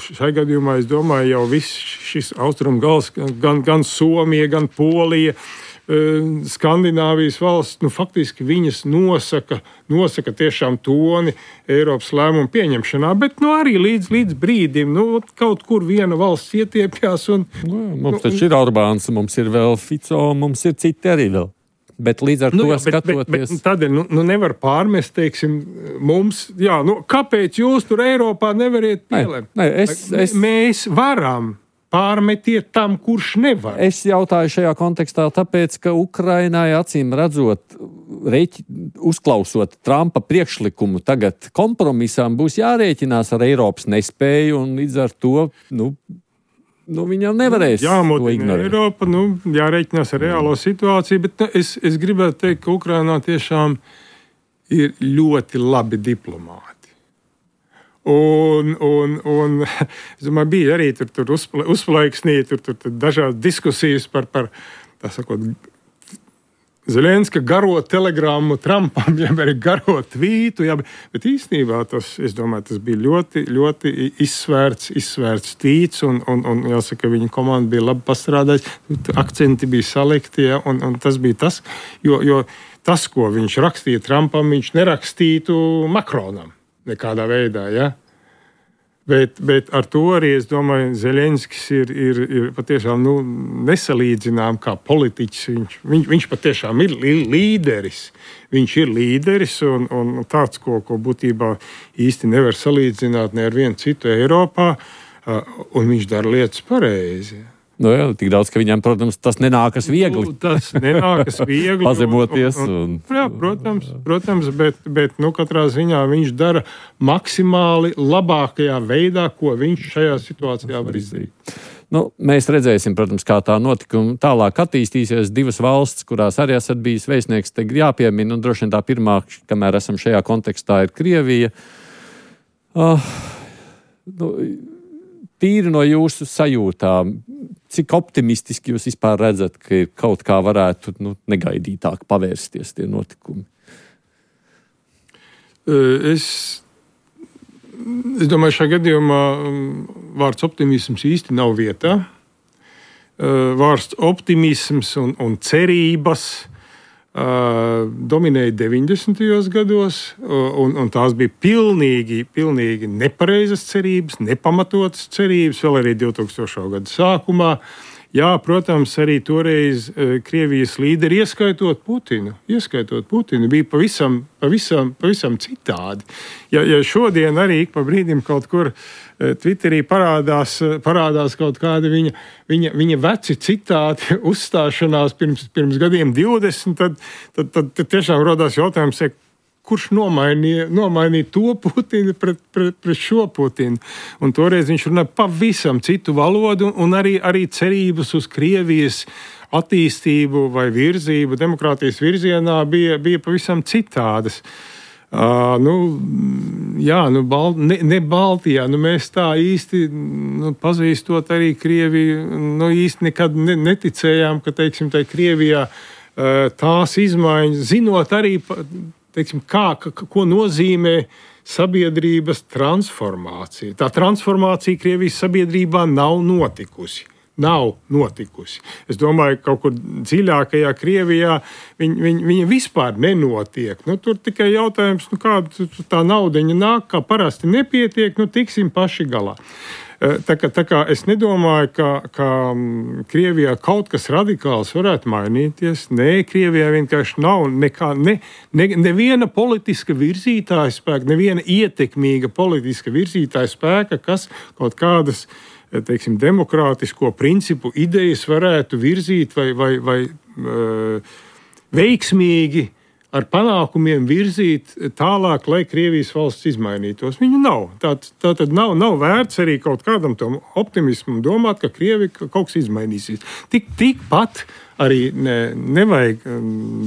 [SPEAKER 3] šai gadījumā, es domāju, jau viss šis austrumu gals, gan Somija, gan Polija, Skandināvijas valsts, faktiski viņas nosaka tiešām toni Eiropas lēmumu pieņemšanā, bet arī līdz brīdim, kaut kur viena valsts ietiepjās.
[SPEAKER 2] Mums taču ir Orbāns, mums ir vēl Fico, mums ir citi arī vēl. Bet līdz ar to skatoties...
[SPEAKER 3] Bet tādēļ nevar pārmest, teiksim, mums, kāpēc jūs tur Eiropā nevariet pielēmt? Mēs varam. Pārmetiet tam, kurš nevar.
[SPEAKER 2] Es jautāju šajā kontekstā tāpēc, ka Ukrainai acīm redzot, uzklausot Trumpa priekšlikumu tagad kompromisām, būs jārēķinās ar Eiropas nespēju un līdz ar to, viņam nevarēs to ignorēt.
[SPEAKER 3] Eiropa, jārēķinās ar reālo situāciju, bet es gribētu teikt, ka Ukrainā tiešām ir ļoti labi diplomāti. Un es domāju, bija arī tur uzplaiksnīti, tur dažādas diskusijas par tā sakot, Zelenska garo telegrammu Trumpam, arī garo tvītu, bet īstenībā tas bija ļoti, ļoti izsvērts tvīts, un jāsaka, viņa komanda bija labi pastrādājusi, akcenti bija salikti, un tas bija tas, jo tas, ko viņš rakstīja Trumpam, viņš nerakstītu Makronam. Nekādā veidā, Bet ar to arī, es domāju, Zelenskis ir patiešām nesalīdzinām kā politiķis. Viņš patiešām ir līderis. Viņš ir līderis un tāds, ko būtībā īsti nevar salīdzināt ne ar vienu citu Eiropā, un viņš dara lietas pareizi.
[SPEAKER 2] Tik daudz, ka viņam, protams, tas nenākas viegli.
[SPEAKER 3] Tas nenākas viegli.
[SPEAKER 2] Pazemoties.
[SPEAKER 3] Jā, protams, bet katrā ziņā viņš dara maksimāli labākajā veidā, ko viņš šajā situācijā var izdarīt.
[SPEAKER 2] Mēs redzēsim, protams, kā tā notikuma tālāk attīstīsies. Divas valsts, kurās arī esat bijis vēstnieks, te jāpiemina, un droši vien tā pirmā, kamēr esam šajā kontekstā, ir Krievija. Tīri no jūsu sajūtām, cik optimistiski jūs vispār redzat, ka kaut kā varētu negaidītāk pavērsties tie notikumi?
[SPEAKER 3] Es domāju, šajā gadījumā vārds optimisms īsti nav vietā. Vārds optimisms un cerības dominēja 90. gados, un tās bija pilnīgi nepareizas cerības, nepamatotas cerības, vēl arī 2000. gada sākumā. Jā, protams, arī toreiz Krievijas līderi, ieskaitot Putinu, bija pavisam citādi. Ja šodien arī ik pa brīdim kaut kur Twitterī parādās kaut kādi viņa veci citāti uzstāšanās pirms gadiem 20, tad tiešām rodās jautājums, kurš nomainīja to Putinu pret šo Putinu. Un toreiz viņš runāja pavisam citu valodu un arī cerības uz Krievijas attīstību vai virzību, demokrātijas virzienā bija pavisam citādas. Ne Baltijā, mēs tā īsti, pazīstot arī Krieviju, īsti nekad neticējām, ka, teiksim, tai Krievijā tās izmaiņas, zinot arī, teiksim, ko nozīmē sabiedrības transformācija. Tā transformācija Krievijas sabiedrībā nav notikusi. Es domāju, ka kaut kur dziļākajā Krievijā viņa vispār nenotiek. Tur tikai jautājums, kāda tā naudiņa nāk, kā parasti nepietiek, tiksim paši galā. Tā kā es nedomāju, ka Krievijā kaut kas radikāls varētu mainīties. Nē, Krievijā vienkārši nav neviena politiska virzītāja spēka, neviena ietekmīga politiska virzītāja spēka, kas kaut kādas, teiksim, demokrātisko principu idejas varētu virzīt vai veiksmīgi ar panākumiem virzīt tālāk, lai Krievijas valsts izmainītos. Viņu nav. Tātad nav vērts arī kaut kādam tam optimismam domāt, ka Krievija kaut kas izmainīsies. Tikpat arī nevajag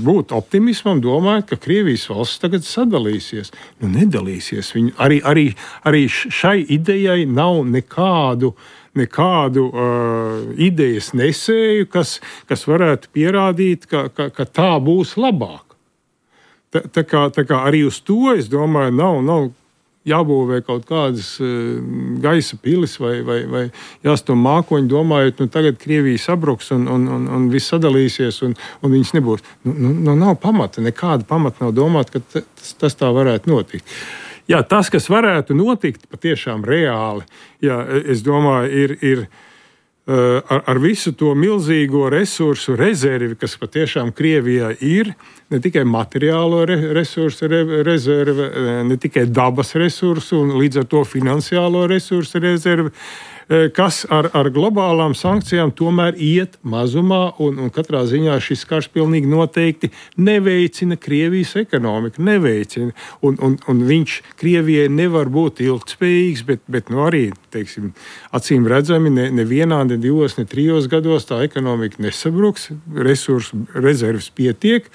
[SPEAKER 3] būt optimismam, domājot, ka Krievijas valsts tagad sadalīsies. Nedalīsies. Viņi arī šai idejai nav nekādu idejas nesēju, kas varētu pierādīt, ka tā būs labāk. Tā kā arī uz to, es domāju, nav jābūvē kaut kādas gaisa pilis vai jāstum mākoņi, domājot, tagad Krievija sabruks un viss sadalīsies un viņas nebūs. Nav pamata, nekāda pamata nav domāt, ka tas tā varētu notikt. Jā, tas, kas varētu notikt patiešām reāli, jā, es domāju, ir ar visu to milzīgo resursu rezervi, kas patiešām Krievijā ir, ne tikai materiālo resursu rezerve, ne tikai dabas resursu un līdz ar to finansiālo resursu rezervi, kas ar globālām sankcijām tomēr iet mazumā un katrā ziņā šis karš pilnīgi noteikti neveicina Krievijas ekonomiku, neveicina. Un viņš Krievijai nevar būt ilgtspējīgs, bet arī, teiksim, acīm redzami, nevienā, ne 2, ne 3 gados tā ekonomika nesabruks, resursu rezerves pietiek.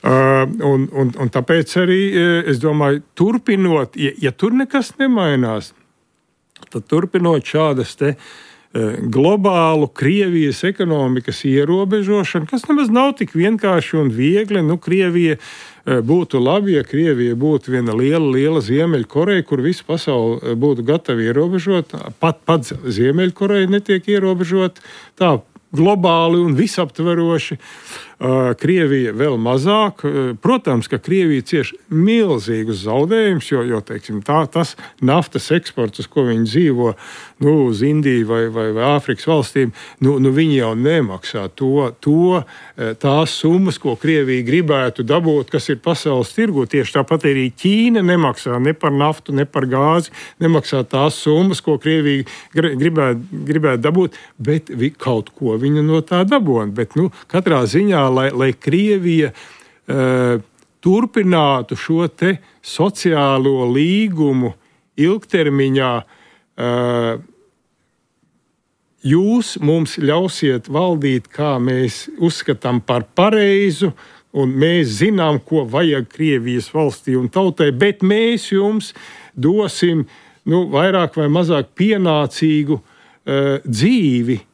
[SPEAKER 3] Un tāpēc arī, es domāju, turpinot, ja tur nekas nemainās, tad turpinot šādas globālu Krievijas ekonomikas ierobežošanu, kas nemaz nav tik vienkārši un viegli. Krievija būtu labi, ja Krievija būtu viena liela Ziemeļkoreja, kur visu pasauli būtu gatavi ierobežot. Pat Ziemeļkoreja netiek ierobežot tā globāli un visaptveroši. Krievija vēl mazāk. Protams, ka Krievija cieš milzīgus zaudējumus, jo teiksim, tas naftas eksports, uz ko viņi dzīvo, uz Indiju vai Āfrikas valstīm, viņi jau nemaksā tās summas, ko Krievija gribētu dabūt, kas ir pasaules tirgu. Tieši tāpat arī Ķīna nemaksā ne par naftu, ne par gāzi, nemaksā tās summas, ko Krievija gribētu dabūt, bet kaut ko viņa no tā dabūna. Bet katrā ziņā, lai Krievija turpinātu šo te sociālo līgumu ilgtermiņā, jūs mums ļausiet valdīt, kā mēs uzskatām par pareizu, un mēs zinām, ko vajag Krievijas valstī un tautai, bet mēs jums dosim vairāk vai mazāk pienācīgu dzīvi.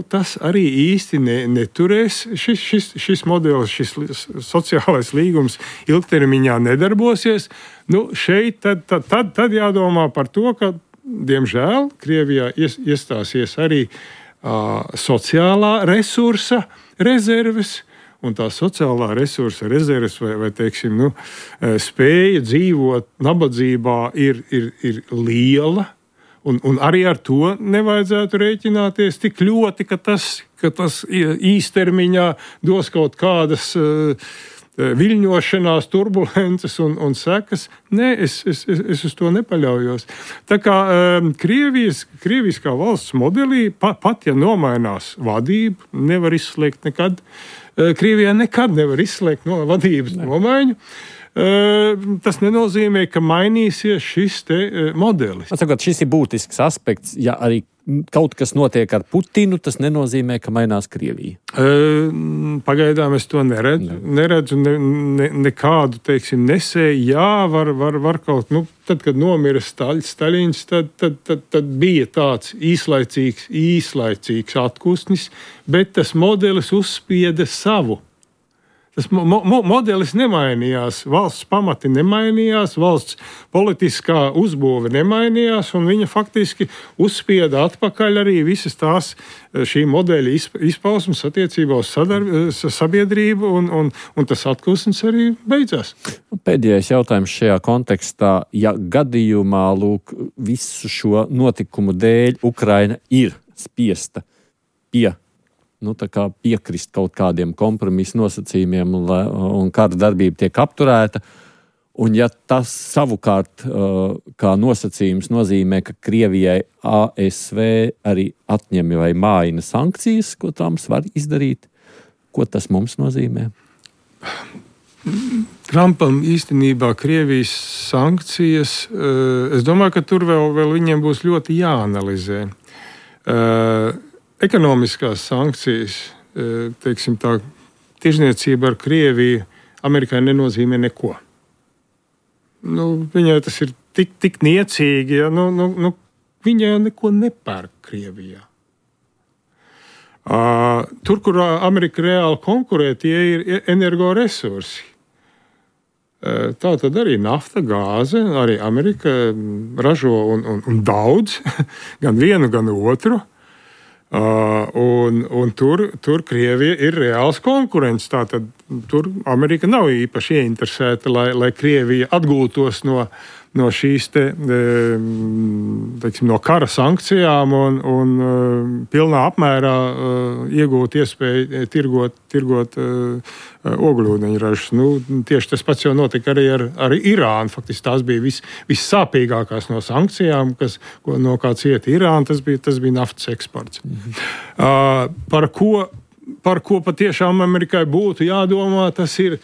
[SPEAKER 3] Tas arī īsti neturēs. Šis modelis, šis sociālais līgums ilgtermiņā nedarbosies. Šeit tad jādomā par to, ka, diemžēl, Krievijā iestāsies arī sociālā resursa rezerves, un tā sociālā resursa rezerves vai teiksim, spēja dzīvot nabadzībā ir liela. Un arī ar to nevajadzētu rēķināties tik ļoti, ka tas īstermiņā dos kaut kādas viļņošanās, turbulences un sekas. Nē, es uz to nepaļaujos. Tā kā Krievijas kā valsts modelī, pat ja nomainās vadība, nevar izslēgt nekad. Krievijā nekad nevar izslēgt no vadības nomaiņu. Tas nenozīmē, ka mainīsies šis modelis.
[SPEAKER 2] Atsakot, šis ir būtisks aspekts. Ja arī kaut kas notiek ar Putinu, tas nenozīmē, ka mainās Krievija.
[SPEAKER 3] Pagaidām es to neredzu nekādu, teiksim, nesēju. Jā, var kaut, tad, kad nomira Staļins, tad bija tāds īslaicīgs atkustnis, bet tas modelis uzspieda savu. Tas modelis nemainījās, valsts pamati nemainījās, valsts politiskā uzbūve nemainījās, un viņa faktiski uzspieda atpakaļ arī visas tās šī modeļa izpausmes attiecībā uz sabiedrību, un tas atklāsmes arī beidzās.
[SPEAKER 2] Pēdējais jautājums šajā kontekstā. Ja gadījumā, visu šo notikumu dēļ Ukraina ir spiesta piekrist kaut kādiem kompromisu nosacījumiem un kara darbība tiek apturēta. Un ja tas savukārt kā nosacījums nozīmē, ka Krievijai ASV arī atņem vai maina sankcijas, ko Trumps var izdarīt, ko tas mums nozīmē?
[SPEAKER 3] Trumpam īstenībā Krievijas sankcijas, es domāju, ka tur vēl viņiem būs ļoti jāanalizē. Ekonomiskās sankcijas, teiksim tā, tirzniecība ar Krieviju Amerikai nenozīmē neko. Viņai tas ir tik niecīgi, ja viņa neko nepērk Krievijā. Tur, kur Amerika reāli konkurē, tie ir energoresursi. Tā tad arī nafta, gāze, arī Amerika ražo un daudz, gan vienu, gan otru. Un tur Krievija ir reāls konkurents. Tātad tur Amerika nav īpaši ieinteresēta, lai Krievija atgūtos no šīs teiksim, no kara sankcijām un pilnā apmērā iegūt iespēju tirgot ogļūdeņražus. Tieši tas pats jau notika arī ar Irānu. Faktiski tās bija vissāpīgākās no sankcijām, no kā cieta Irāna. Tas bija naftas eksports. Par ko patiešām Amerikai būtu jādomā, tas ir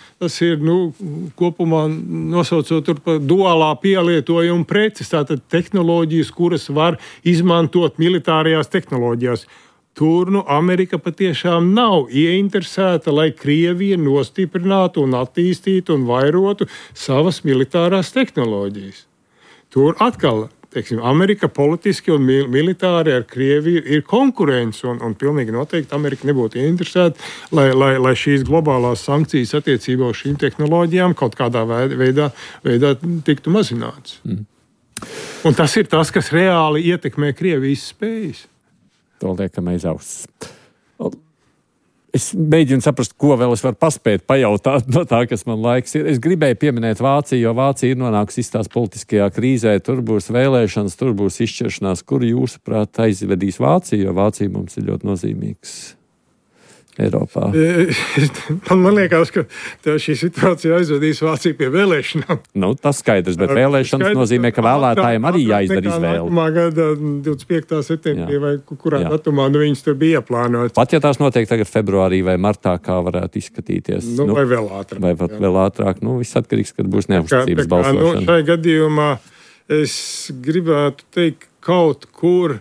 [SPEAKER 3] kopumā nosaucot par duālā pielietojuma preces, tātad tehnoloģijas, kuras var izmantot militārajās tehnoloģijās. Tur Amerika patiešām nav ieinteresēta, lai Krievija nostiprinātu un attīstītu un vairotu savas militārās tehnoloģijas. Tur atkal, teiksim, Amerika politiski un militāri ar Krieviju ir konkurence, un pilnīgi noteikti Amerika nebūtu ieinteresēta, lai šīs globālās sankcijas attiecībā uz šīm tehnoloģijām kaut kādā veidā tiktu mazināts. Un tas ir tas, kas reāli ietekmē Krievijas spējas.
[SPEAKER 2] To liekam aiz auss. Es mēģinu saprast, ko vēl es varu paspēt pajautāt no tā, kas man laiks ir. Es gribēju pieminēt Vāciju, jo Vācija ir nonākusi tās politiskajā krīzē. Tur būs vēlēšanas, tur būs izšķiršanās. Kur jūsuprāt aizvedīs Vāciju, jo Vācija mums ir ļoti nozīmīgs Eiropā?
[SPEAKER 3] Man liekas, ka šī situācija aizvedīs Vāciju pie vēlēšanām.
[SPEAKER 2] Tas skaidrs, bet vēlēšanas nozīmē, ka vēlētājiem arī jāizdara izvēle.
[SPEAKER 3] Nākamā gada 25. septembrī vai kurā datumā viņas tur bija ieplānotas.
[SPEAKER 2] Pat ja tās notiek tagad februārī vai martā, kā varētu izskatīties?
[SPEAKER 3] Vai vēl ātrāk.
[SPEAKER 2] Vai vēl ātrāk. Viss atkarīgs, kad būs neuzticības balsošana.
[SPEAKER 3] Šai gadījumā es gribētu teikt kaut kur,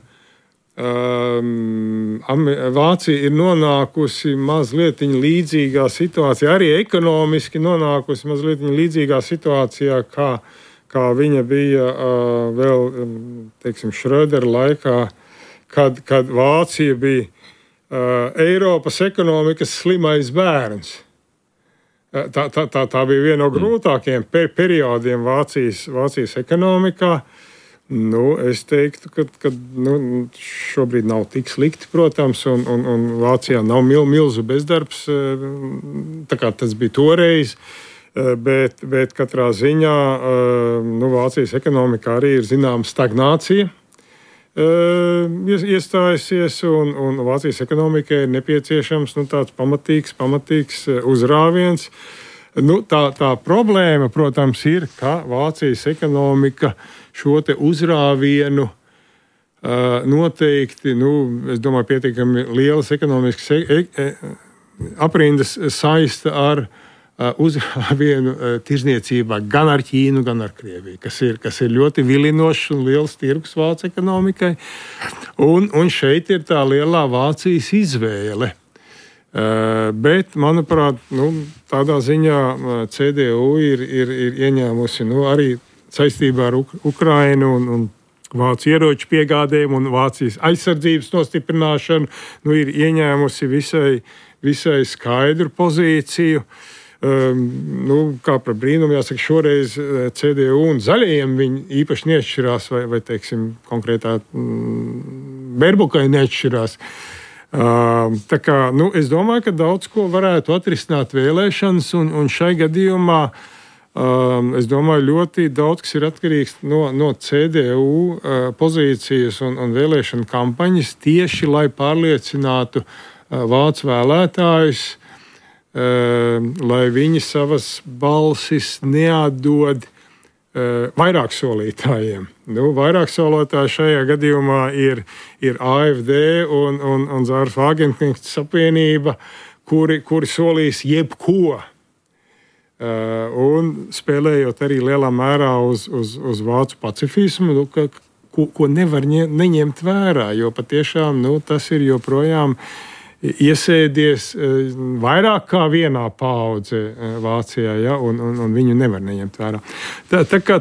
[SPEAKER 3] Vācija ir nonākusi mazliet līdzīgā situācijā, arī ekonomiski nonākusi mazliet līdzīgā situācijā, kā viņa bija vēl, teiksim, Schrödera laikā, kad Vācija bija Eiropas ekonomikas slimais bērns. Tā bija viena no grūtākajiem periodiem Vācijas ekonomikā. Es teiktu, ka šobrīd nav tik slikti, protams, un Vācijā nav milzu bezdarbs, tā kā tas bija toreiz, bet katrā ziņā Vācijas ekonomikā arī ir zināma stagnācija iestājusies, un Vācijas ekonomikai ir nepieciešams tāds pamatīgs uzrāviens. Tā problēma, protams, ir, ka Vācijas ekonomika šo te uzrāvienu noteikti, es domāju, pietiekami lielas ekonomiskas aprindas saista ar uzrāvienu tirzniecībā gan ar Ķīnu, gan ar Krieviju, kas ir ļoti vilinošs un liels tirgus Vācijas ekonomikai. Un šeit ir tā lielā Vācijas izvēle. Bet, manuprāt, tādā ziņā CDU ir ieņēmusi arī saistībā ar Ukrainu un Vācijas ieroču piegādēm un Vācijas aizsardzības nostiprināšanu, ir ieņēmusi visai skaidru pozīciju. Kā par brīnumu jāsaka, šoreiz CDU un zaļajiem viņi īpaši neatšķirās, vai teiksim, konkrētā Berbukai neatšķirās. Tā kā, es domāju, ka daudz ko varētu atrisināt vēlēšanas, un šai gadījumā es domāju, ļoti daudz kas ir atkarīgs no CDU pozīcijas un vēlēšana kampaņas tieši, lai pārliecinātu vācu vēlētājus, lai viņi savas balsis neatdod vairāk solītājiem. Vairāk solītāji šajā gadījumā ir AfD un Zāras Vāgenknechts apvienība, kuri solīs jebko. Un spēlējot arī lielā mērā uz vācu pacifismu, ko nevar neņemt vērā, jo patiešām tas ir joprojām iesēdies vairāk kā vienā paudze Vācijā, ja, un viņu nevar neņemt vērā. Tā kā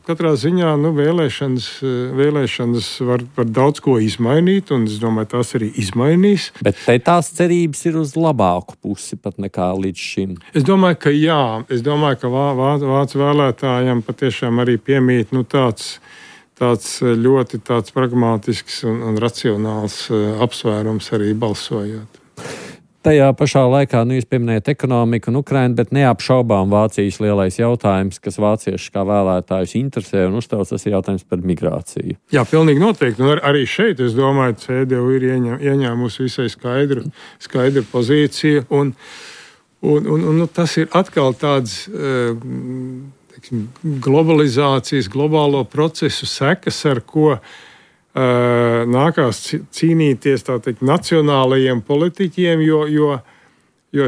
[SPEAKER 3] katrā ziņā vēlēšanas var daudz ko izmainīt, un es domāju, tās arī izmainīs.
[SPEAKER 2] Bet te tās cerības ir uz labāku pusi pat nekā līdz šim.
[SPEAKER 3] Es domāju, ka jā. Es domāju, ka vācu vēlētājiem patiešām arī piemīt tāds ļoti pragmātisks un racionāls apsvērums arī balsojot.
[SPEAKER 2] Tajā pašā laikā, jūs pieminējat ekonomiku un Ukrainu, bet neapšaubām Vācijas lielais jautājums, kas vācieši kā vēlētājus interesē un uztrauc, tas ir jautājums par migrāciju. Jā,
[SPEAKER 3] pilnīgi noteikti. Un arī šeit, es domāju, CDU ir ieņēmusi visai skaidru pozīciju. Un tas ir atkal tāds globalizācijas, globālo procesu sekas, ar ko nākās cīnīties nacionālajiem politiķiem, jo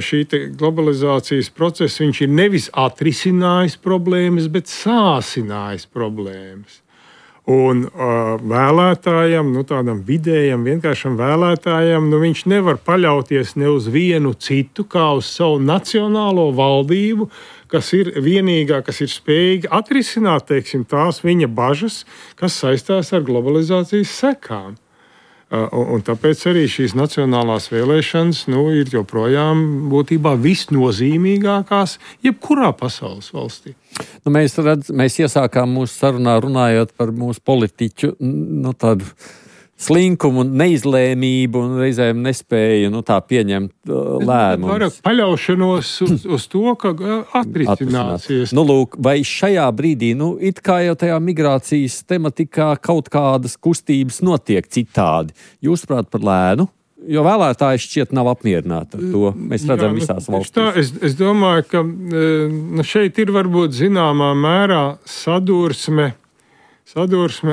[SPEAKER 3] šī globalizācijas process viņš ir nevis atrisinājis problēmas, bet sāsinājis problēmas. Un vēlētājam, tādam vidējam, vienkāršam vēlētājam, viņš nevar paļauties ne uz vienu citu, kā uz savu nacionālo valdību, kas ir vienīgā, kas ir spējīga atrisināt, tās viņa bažas, kas saistās ar globalizācijas sekām. Un tāpēc arī šīs nacionālās vēlēšanas ir joprojām būtībā visnozīmīgākās jebkurā pasaules valstī.
[SPEAKER 2] Mēs iesākām mūsu sarunā runājot par mūsu politiķu tādu slinkumu, neizlēmību un reizēm nespēju pieņemt lēmumus.
[SPEAKER 3] Vairāk paļaušanos uz to, ka atrisināsies.
[SPEAKER 2] Lūk, vai šajā brīdī, it kā jau tajā migrācijas tematikā kaut kādas kustības notiek citādi. Jūsuprāt par lēnu? Jo vēlētāji šķiet nav apmierināti ar to. Mēs redzam visās valstīs.
[SPEAKER 3] Es domāju, ka šeit ir varbūt zināmā mērā sadursme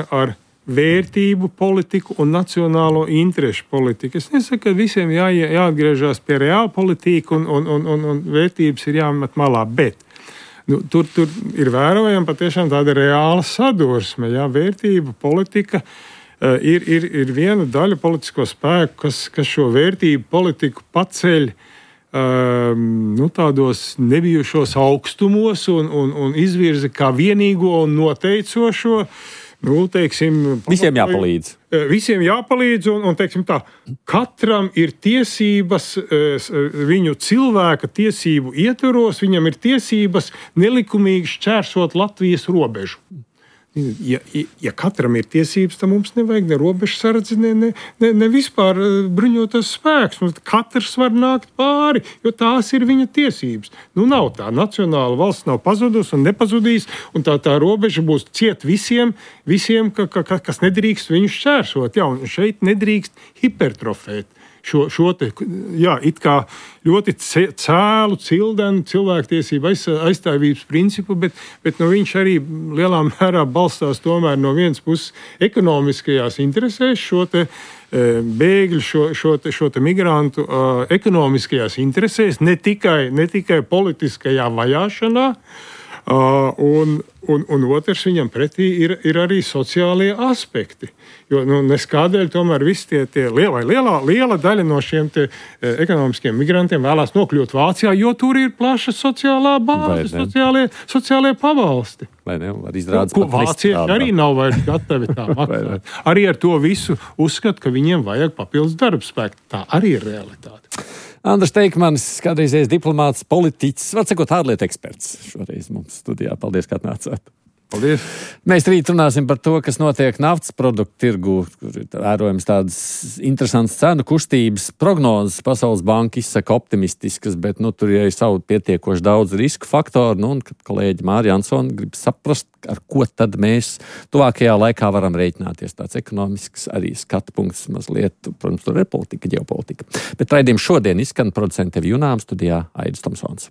[SPEAKER 3] ar vērtību politiku un nacionālo interešu politiku. Es nesaku, ka visiem jāatgriežas pie reāla politika un vērtības ir jāmet malā, bet tur ir vērojama patiešām tāda reāla sadursme. Vērtību politika ir viena daļa politisko spēku, kas šo vērtību politiku paceļ tādos nebijušos augstumos un izvirza kā vienīgo un noteicošo.
[SPEAKER 2] Visiem jāpalīdz.
[SPEAKER 3] Visiem jāpalīdz, un tā, katram ir tiesības, viņu cilvēka tiesību ietvaros, viņam ir tiesības nelikumīgi šķērsot Latvijas robežu. Ja katram ir tiesības, tad mums nevajag ne robežsardzi, ne vispār bruņotas spēks. Katrs var nākt pāri, jo tās ir viņa tiesības. Nav tā. Nacionāla valsts nav pazudusi un nepazudīs, un tā robeža būs ciet visiem kas nedrīkst viņu šķērsot. Un šeit nedrīkst hipertrofēt šo it kā ļoti cēlu, cildenu cilvēktiesību aizstāvības principu, bet viņš arī lielā mērā balstās tomēr no vienas puses ekonomiskajās interesēs, šo bēgļu, šo migrantu ekonomiskajās interesēs, ne tikai politiskajā vajāšanā. Un otrs viņam pretī ir arī sociālie aspekti. Jo neskādēļ tomēr visi tie liela daļa no šiem ekonomiskiem migrantiem vēlās nokļūt Vācijā, jo tur ir plaša sociālā bāze, sociālie pabalsti.
[SPEAKER 2] Vai ne? Var izrādīt,
[SPEAKER 3] ko vācieši arī nav vairs gatavi tā maksāt. Arī ar to visu uzskat, ka viņiem vajag papildus darbspēku. Tā arī ir realitāte.
[SPEAKER 2] Andris Teikmanis, kādreizējais diplomāts, politiķis, var sakot, ārlietu eksperts šoreiz mums studijā. Paldies, ka atnācāt.
[SPEAKER 3] Paldies.
[SPEAKER 2] Mēs rīt runāsim par to, kas notiek naftas produktu tirgu, kur ir vērojams tādas interesantas cenu kustības. Prognozes Pasaules banka izsaka optimistiskas, bet tur ir savu pietiekoši daudz risku faktoru. Un kad kolēģi Māri Jansoni grib saprast, ar ko tad mēs tuvākajā laikā varam rēķināties. Tāds ekonomisks arī skatu punkts mazliet, protams, tur ir politika, ģeopolitika. Bet raidījums šodien izskan producente Junām, studijā Aidis Tomsons.